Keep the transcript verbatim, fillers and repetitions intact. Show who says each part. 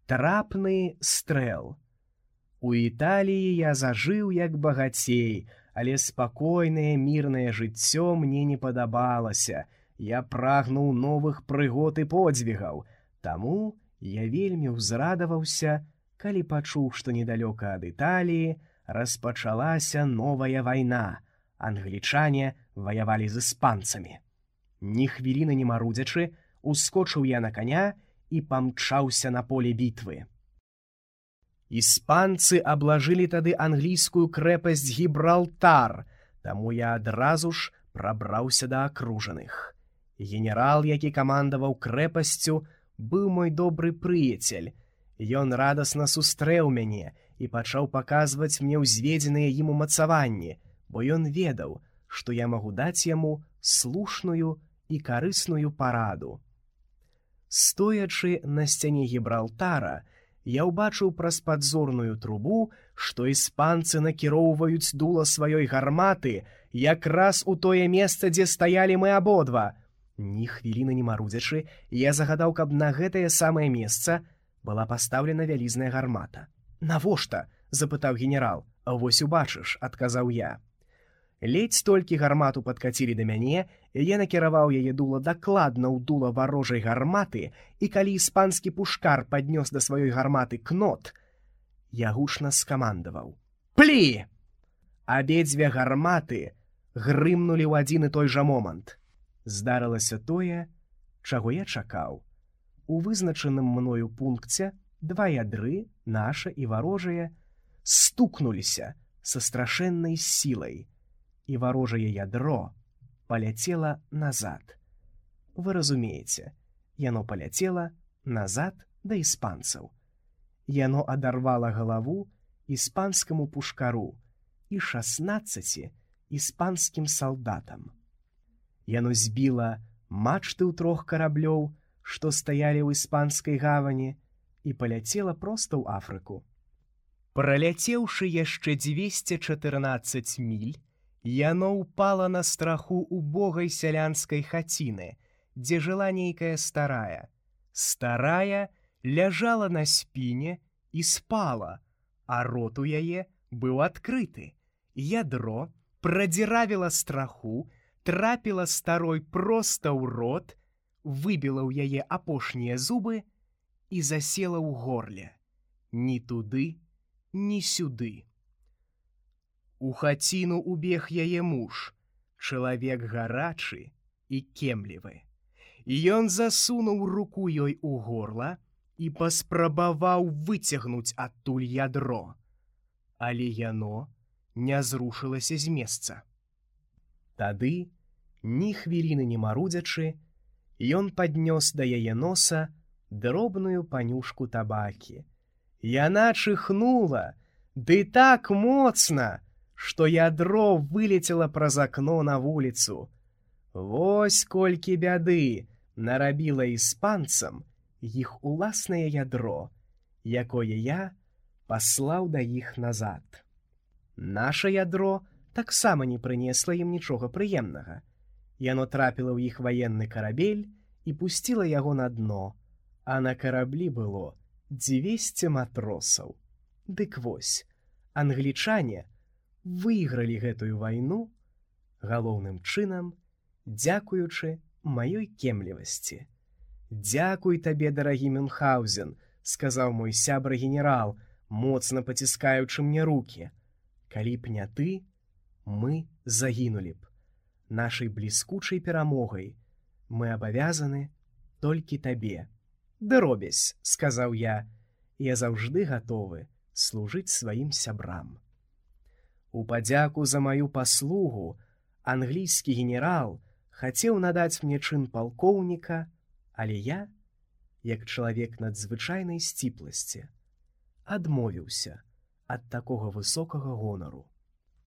Speaker 1: Трапны стрэл. У Італіі я зажыў як багацей, але спакойнае мірнае жыццё мне не падабалася. Я прагнуў новых прыгод і подзвігаў. Таму я вельмі ўзрадаваўся, калі пачуў, што недалёка ад Італіі распачалася новая вайна. Англічане ваявалі з іспанцамі. Ні хвіліны не марудзячы, ускочыў я на каня і памчаўся на поле бітвы. Іспанцы аблажылі тады англійскую крэпасць Гібралтар, таму я адразу ж прабраўся да акружаных. Генерал, які камандаваў крэпасцю, быў мой добры прыяцель. Ён радасна сустрэў мяне і пачаў паказваць мне ўзведзеныя ім умацаванні, бо ён ведаў, што я магу даць яму слушную і карысную параду. Стоячы на сцяне Гібралтара, я ўбачыў праз падзорную трубу, што іспанцы накіроўваюць дула сваёй гарматы якраз у тое месца, дзе стаялі мы абодва. Ні хвіліны не марудзячы, я загадаў, каб на гэтае самае месца была пастаўлена вялізная гармата. «Навошта?» – запытаў генерал. «Вось убачыш», – адказаў я. Ледзь толькі гармату падкацілі да мяне, я накіраваў яе дула дакладна ў дула варожай гарматы, і калі іспанскі пушкар паднёс да сваёй гарматы кнот, я гучна скамандаваў: «Плі!» Абедзве гарматы грымнулі ў адзін і той жа момант. Здарылася тое, чаго я чакаў. У вызначаным мною пункце два ядры, наша і варожае, стукнуліся са страшэннай сілай, і варожае ядро паляцела назад. Вы разумееце, яно паляцела назад да іспанцаў. Яно адарвала галаву іспанскаму пушкару і шаснаццаці іспанскім салдатам. Яно збіла мачты ў трох караблёў, што стаялі ў іспанскай гавані, і паляцела проста ў Афрыку. Праляцеўшы яшчэ дзвесце чатырнаццаць міль, яно ўпала на страху убогай сялянскай хаціны, дзе жыла нейкая старая. Старая ляжала на спіне і спала, а рот у яе быў адкрыты. Ядро прадзіравіла страху, трапіла старой проста ў рот, выбіла ў яе апошнія зубы і засела ў горле. Ні туды, ні сюды. У хаціну убег яе муж, чалавек гарачы і кемлівы. Ён засунуў руку ёй у горла і паспрабаваў выцягнуць адтуль ядро, але яно не зрушылася з месца. Тады, ні хвіліны не марудзячы, ён паднёс да яе носа дробную панюшку табакі. Яна чыхнула, ды так моцна, што ядро вылецела праз акно на вуліцу. Вось колькі бяды нарабіла іспанцам іх уласнае ядро, якое я паслаў да іх назад. Наша ядро таксама не прынесла ім нічога прыемнага. Яно трапіла ў іх ваенны карабель і пусціла яго на дно, а на караблі было дзвесце матросаў. Дык вось, англічане выйгралі гэтую вайну галоўным чынам, дзякуючы маёй кемлівасці. «Дзякуй табе, дарагі Мюнхгаузен», – сказаў мой сябра генерал, моцна паціскаючы мне рукі. «Калі б не ты, мы загінулі б. Нашай бліскучай перамогай мы абавязаны толькі табе». «Ды робязь», – сказаў я, – «я заўжды гатовы служыць сваім сябрам». У падзяку за маю паслугу англійскі генерал хацеў надаць мне чын палкоўніка, але я, як чалавек надзвычайнай сціпласці, адмовіўся ад такога высокага гонару.